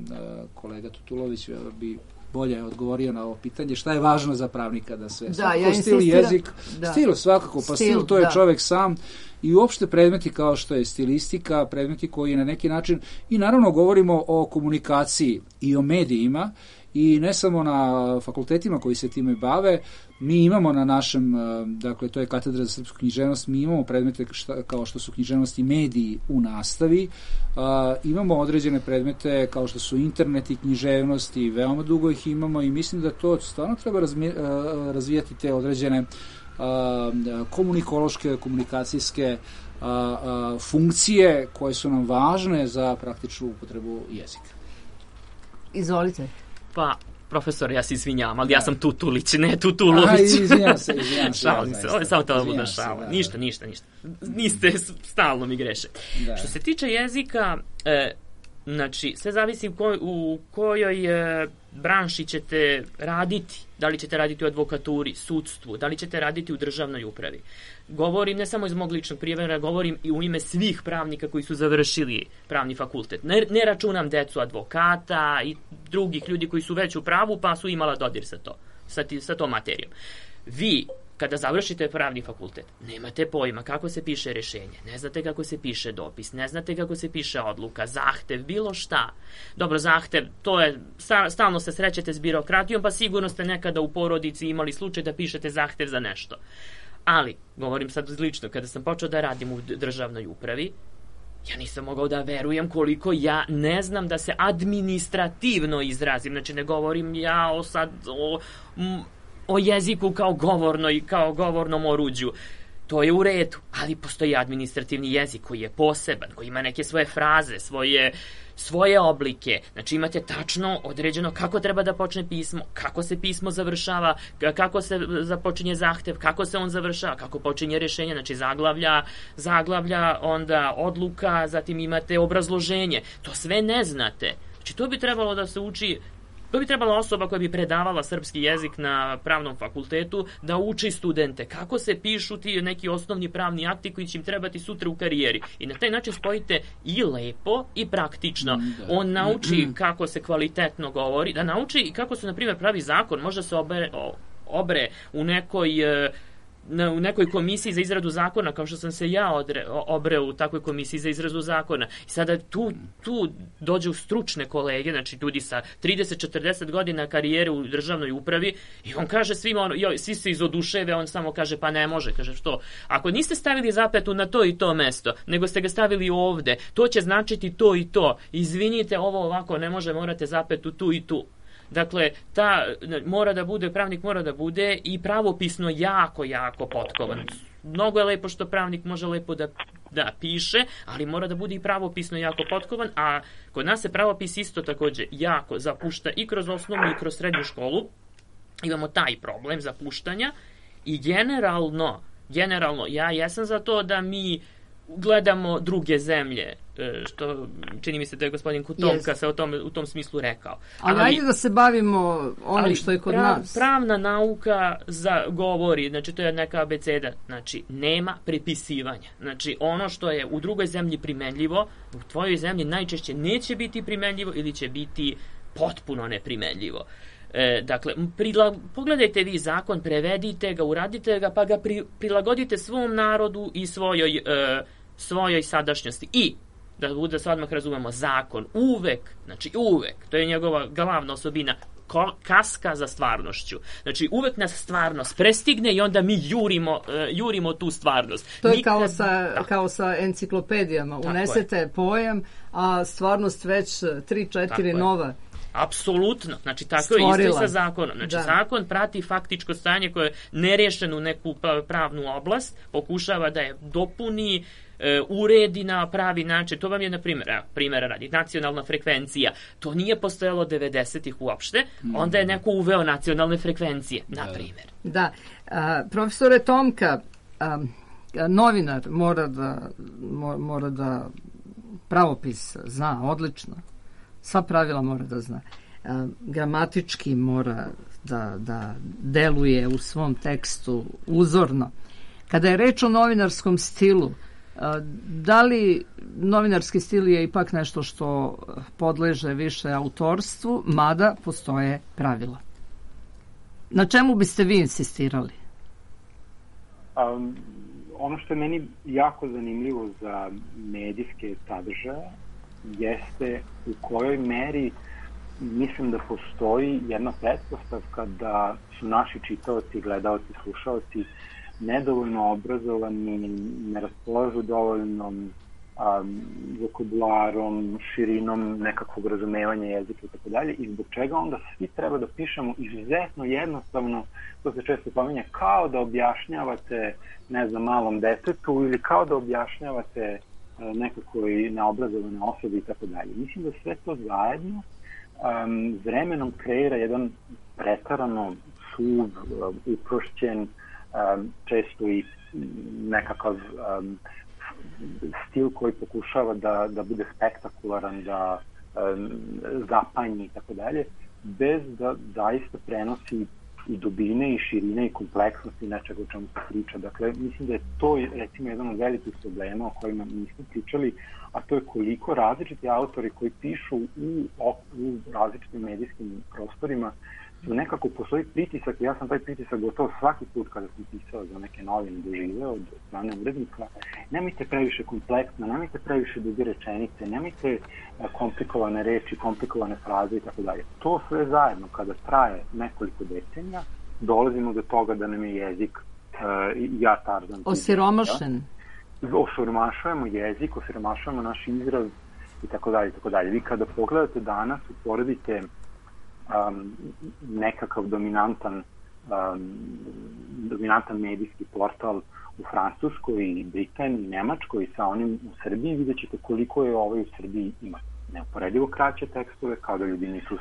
kolega Tutulović bi bolje odgovorio na ovo pitanje. Šta je važno za pravnika da se... Da, ja stil jezik, da. Stil svakako, pa stil, stil to je da. Čovek sam, i uopšte predmeti kao što je stilistika, predmeti koji na neki način, i naravno govorimo o komunikaciji i o medijima, i ne samo na fakultetima koji se time bave, mi imamo na našem, dakle to je katedra za srpsku književnost, mi imamo predmete šta, kao što su književnost i mediji u nastavi, uh, imamo određene predmete kao što su internet i književnost, i veoma dugo ih imamo, i mislim da to stvarno treba razmi, uh, razvijati te određene uh, komunikološke, komunikacijske uh, uh, funkcije koje su nam važne za praktičnu upotrebu jezika. Izvolite. Pa, profesor, ja se izvinjam, ali da. Ja sam Tutulić, ne Tutulović. Aha, izvinjam se, izvinjam se. Šalim se, ovo je samo to da šala. Ništa, ništa, ništa. Niste, stalno mi greše. Da. Što se tiče jezika, e, znači, sve zavisi u, koj, u kojoj e, branši ćete raditi. Da li ćete raditi u advokaturi, sudstvu, da li ćete raditi u državnoj upravi. Govorim ne samo iz mog ličnog primjera, govorim i u ime svih pravnika koji su završili pravni fakultet. Ne, ne računam decu advokata i drugih ljudi koji su već u pravu pa su imala dodir sa to, sa, ti, sa tom materijom. Vi, kada završite pravni fakultet, nemate pojma kako se piše rešenje, ne znate kako se piše dopis, ne znate kako se piše odluka, zahtev, bilo šta. Dobro, zahtev, to je, stalno se srećete s birokratijom, pa sigurno ste nekada u porodici imali slučaj da pišete zahtev za nešto. Ali, govorim sad lično, kada sam počeo da radim u državnoj upravi, ja nisam mogao da verujem koliko ja ne znam da se administrativno izrazim. Znači, ne govorim ja o sad o, o jeziku kao govornoj, kao govornom oruđu. To je u redu, ali postoji administrativni jezik koji je poseban, koji ima neke svoje fraze, svoje, svoje oblike. Znači imate tačno određeno kako treba da počne pismo, kako se pismo završava, kako se započinje zahtev, kako se on završava, kako počinje rešenje, znači zaglavlja, zaglavlja, onda odluka, zatim imate obrazloženje. To sve ne znate. Znači to bi trebalo da se uči. To bi trebala osoba koja bi predavala srpski jezik na pravnom fakultetu da uči studente kako se pišu ti neki osnovni pravni akti koji će im trebati sutra u karijeri. I na taj način spojite i lepo i praktično. On nauči kako se kvalitetno govori, da nauči i kako se, na primjer, pravi zakon. Možda se obre, obre u nekoj... Na, u nekoj komisiji za izradu zakona, kao što sam se ja odre, obreo u takvoj komisiji za izradu zakona. I sada tu, tu dođu stručne kolege, znači ljudi sa trideset četrdeset godina karijere u državnoj upravi, i on kaže svima, ono, joj, svi se izoduševe, on samo kaže pa ne može, kaže što? Ako niste stavili zapetu na to i to mesto, nego ste ga stavili ovde, to će značiti to i to. Izvinite, ovo ovako ne može, morate zapetu tu i tu. Dakle, ta mora da bude, pravnik mora da bude i pravopisno jako, jako potkovan. Mnogo je lepo što pravnik može lepo da, da piše, ali mora da bude i pravopisno jako potkovan, a kod nas se pravopis isto takođe jako zapušta i kroz osnovnu i kroz srednju školu. Imamo taj problem zapuštanja i generalno, generalno, ja jesam za to da mi gledamo druge zemlje, što čini mi se da je gospodin Kutomka se o tom, u tom smislu rekao. Ali, ali ajde da se bavimo onim što je kod prav, nas. Pravna nauka za, govori, znači to je neka abeceda, znači nema prepisivanja. Znači ono što je u drugoj zemlji primenljivo, u tvojoj zemlji najčešće neće biti primenljivo ili će biti potpuno neprimenljivo. E, dakle, prila, pogledajte vi zakon, prevedite ga, uradite ga, pa ga pri, prilagodite svom narodu i svojoj, e, svojoj sadašnjosti. I, da bude se odmah razumemo, zakon uvek, znači uvek, to je njegova glavna osobina, ko, kaska za stvarnošću. Znači, uvek nas stvarnost prestigne i onda mi jurimo, uh, jurimo tu stvarnost. To je Nikad, kao, sa, da. kao sa enciklopedijama. Tako unesete je. Pojam, a stvarnost već tri četiri nova. Apsolutno, znači tako stvorila. Je isto i sa zakonom. Znači da. Zakon prati faktičko stanje koje je nerješeno u neku pravnu oblast, pokušava da je dopuni, e, uredi na pravi način. To vam je, na primjer, evo, primjera radi, nacionalna frekvencija. To nije postojalo devedesetih uopšte, onda je neko uveo nacionalne frekvencije, na primjer. Da, a, profesore Tomka, a, novinar mora da, mora da pravopis zna odlično. Sva pravila mora da zna. E, gramatički mora da, da deluje u svom tekstu uzorno. Kada je reč o novinarskom stilu, e, da li novinarski stil je ipak nešto što podleže više autorstvu, mada postoje pravila? Na čemu biste vi insistirali? Um, ono što je meni jako zanimljivo za medijske sadržaje jeste u kojoj meri mislim da postoji jedna pretpostavka da su naši čitaoci, gledaoci, slušaoci nedovoljno obrazovani, ne raspolažu dovoljnom um, vokabularom, širinom nekakvog razumevanja jezika i tako dalje, i zbog čega onda svi treba da pišemo izuzetno jednostavno, to se često pominje, kao da objašnjavate, ne znam, malom detetu ili kao da objašnjavate nekakvoj neobrazovane osobe i tako dalje. Mislim da sve to zajedno um, vremenom kreira jedan pretarano suv, uprošćen, um, često i nekakav um, stil koji pokušava da, da bude spektakularan, da um, zapanji i tako dalje, bez da zaista prenosi i dubine i širine i kompleksnosti nečega o čemu se priča. Dakle, mislim da je to recimo jedan od velikih problema o kojima nismo pričali, a to je koliko različiti autori koji pišu u, u različitim medijskim prostorima su nekako postoji pritisak, ja sam taj pritisak gotovo svaki put kada sam pisao za neke novine doživeo od strane urednika, nemojte previše kompleksno, nemojte previše duge rečenice, nemojte komplikovane reči, komplikovane fraze i tako dalje. To sve zajedno kada traje nekoliko decenija, dolazimo do toga da nam je jezik uh, ja Tarzan. Osiromašen. Osiromašujemo jezik, osiromašujemo naš izraz i tako dalje i tako dalje. Vi kada pogledate danas, uporedite Um, nekakav dominantan um, dominantan medijski portal u Francuskoj i Britaniji i Nemačkoj sa onim u Srbiji, vidjet ćete koliko je ovaj u Srbiji ima neuporedivo kraće tekstove, kao da ljudi nisu u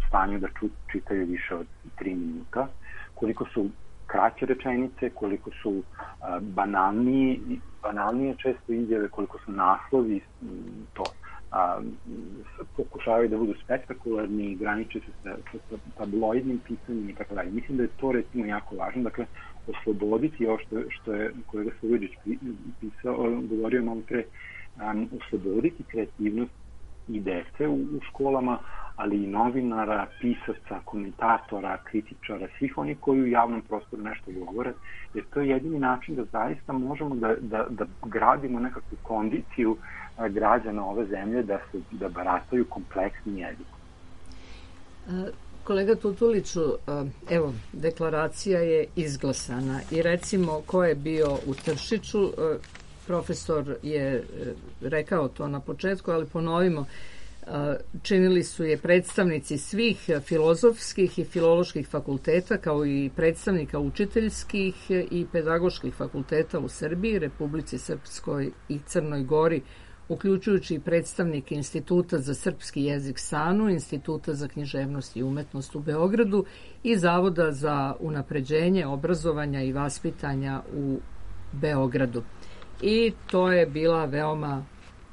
stanju da ču, čitaju više od tri minuta, koliko su kraće rečenice, koliko su uh, banalnije, banalnije često izjave, koliko su naslovi, to A, pokušavaju da budu spektakularni, graniče se sa, sa tabloidnim pisanjem i tako dalje. Mislim da je to recimo jako važno, dakle osloboditi ovo što, što je kolega Sloviđić pisao, govorio malo pre, um, osloboditi kreativnost i dece u, u školama, ali i novinara, pisaca, komentatora, kritičara, svih onih koji u javnom prostoru nešto govore, jer to je jedini način da zaista možemo da, da, da gradimo nekakvu kondiciju građana ove zemlje da se da barataju kompleksnim jezikom. Kolega Tutuliću, evo, deklaracija je izglasana i recimo ko je bio u Tršiću, profesor je rekao to na početku, ali ponovimo, činili su je predstavnici svih filozofskih i filoloških fakulteta, kao i predstavnika učiteljskih i pedagoških fakulteta u Srbiji, Republici Srpskoj i Crnoj Gori, uključujući i predstavnike Instituta za srpski jezik SANU, Instituta za književnost i umetnost u Beogradu i Zavoda za unapređenje obrazovanja i vaspitanja u Beogradu. I to je bila veoma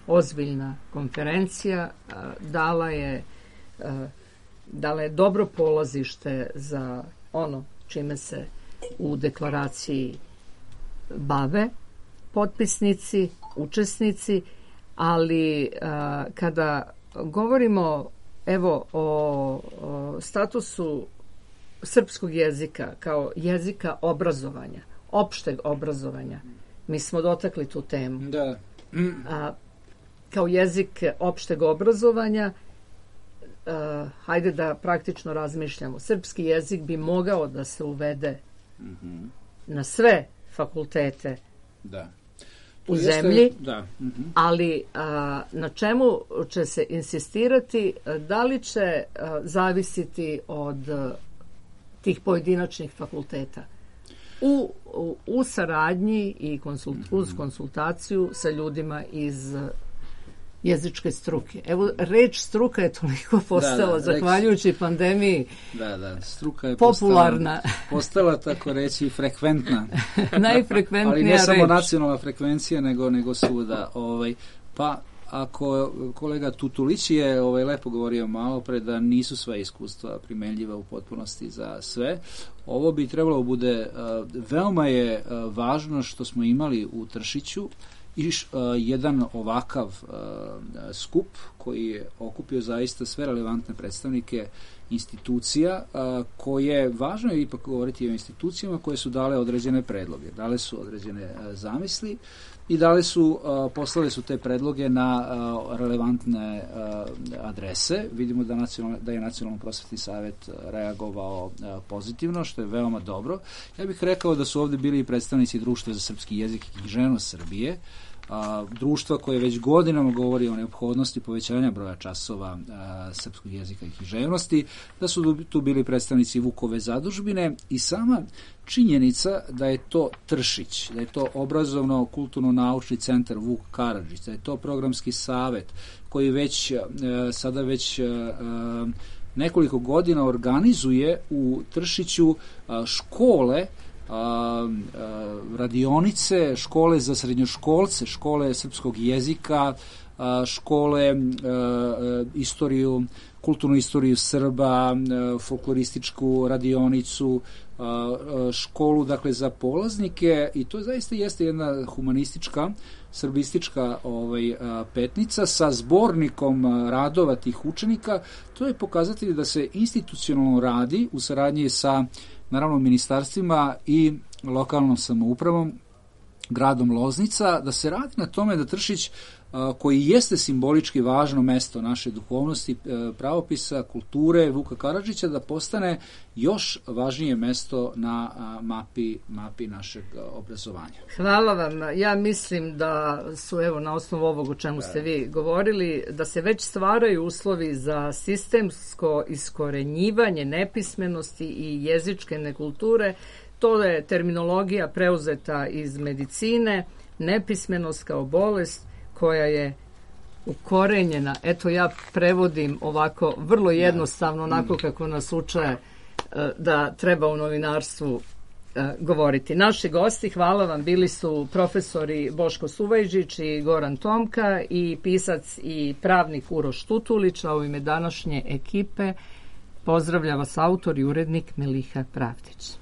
ozbiljna konferencija, dala je, dala je dobro polazište za ono čime se u deklaraciji bave potpisnici, učesnici, ali kada govorimo evo o, o statusu srpskog jezika kao jezika obrazovanja, opšteg obrazovanja, mi smo dotakli tu temu. Da. A, kao jezik opšteg obrazovanja, uh, hajde da praktično razmišljamo, srpski jezik bi mogao da se uvede mm-hmm. na sve fakultete da. u zemlji, da. Mm-hmm. ali a, na čemu će se insistirati, da li će a, zavisiti od a, tih pojedinačnih fakulteta u, u, u saradnji i konsult, mm-hmm. uz konsultaciju sa ljudima iz jezičke struke. Evo, reč struka je toliko postala, da, da, zahvaljujući reč, pandemiji, da, da, struka je popularna. Postala, postala tako reći, frekventna. Najfrekventnija reč. Ali ne samo nacionalna frekvencija, nego, nego svuda. Ovaj, pa, ako kolega Tutulić je ovaj, lepo govorio malo pre da nisu sva iskustva primenljiva u potpunosti za sve, ovo bi trebalo bude, uh, veoma je uh, važno što smo imali u Tršiću i uh, jedan ovakav uh, skup koji je okupio zaista sve relevantne predstavnike institucija uh, koje, važno je ipak govoriti o institucijama koje su dale određene predloge, dale su određene uh, zamisli i dale su, uh, poslale su te predloge na uh, relevantne uh, adrese. Vidimo da, da je Nacionalno prosvetni savet reagovao uh, pozitivno, što je veoma dobro. Ja bih rekao da su ovde bili i predstavnici Društva za srpski jezik i književnost Srbije, a, društva koje već godinama govori o neophodnosti povećanja broja časova a, srpskog jezika i književnosti, da su tu bili predstavnici Vukove zadužbine i sama činjenica da je to Tršić, da je to obrazovno-kulturno-naučni centar Vuk Karadžić, da je to programski savet koji već a, sada već a, nekoliko godina organizuje u Tršiću a, škole, A, a, radionice, škole za srednjoškolce, škole srpskog jezika, a, škole a, a, istoriju, kulturnu istoriju Srba, a, folklorističku radionicu, a, a, školu dakle za polaznike, i to zaista jeste jedna humanistička, srbistička ovaj, a, petnica sa zbornikom a, radova tih učenika. To je pokazatelj da se institucionalno radi u saradnji sa naravno ministarstvima i lokalnom samoupravom, gradom Loznica, da se radi na tome da Tršić, koji jeste simbolički važno mesto naše duhovnosti, pravopisa, kulture Vuka Karadžića, da postane još važnije mesto na mapi, mapi našeg obrazovanja. Hvala vam. Ja mislim da su, evo, na osnovu ovog o čemu ste vi govorili, da se već stvaraju uslovi za sistemsko iskorenjivanje nepismenosti i jezičke nekulture. To je terminologija preuzeta iz medicine, nepismenost kao bolest koja je ukorenjena. Eto, ja prevodim ovako vrlo jednostavno, onako kako nas uče da treba u novinarstvu govoriti. Naši gosti, hvala vam, bili su profesori Boško Suvajžić i Goran Tomka i pisac i pravnik Uroš Tutulić, a u ime današnje ekipe pozdravlja vas autor i urednik Meliha Pravdić.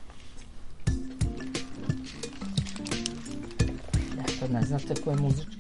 Ne znate ko je muzički?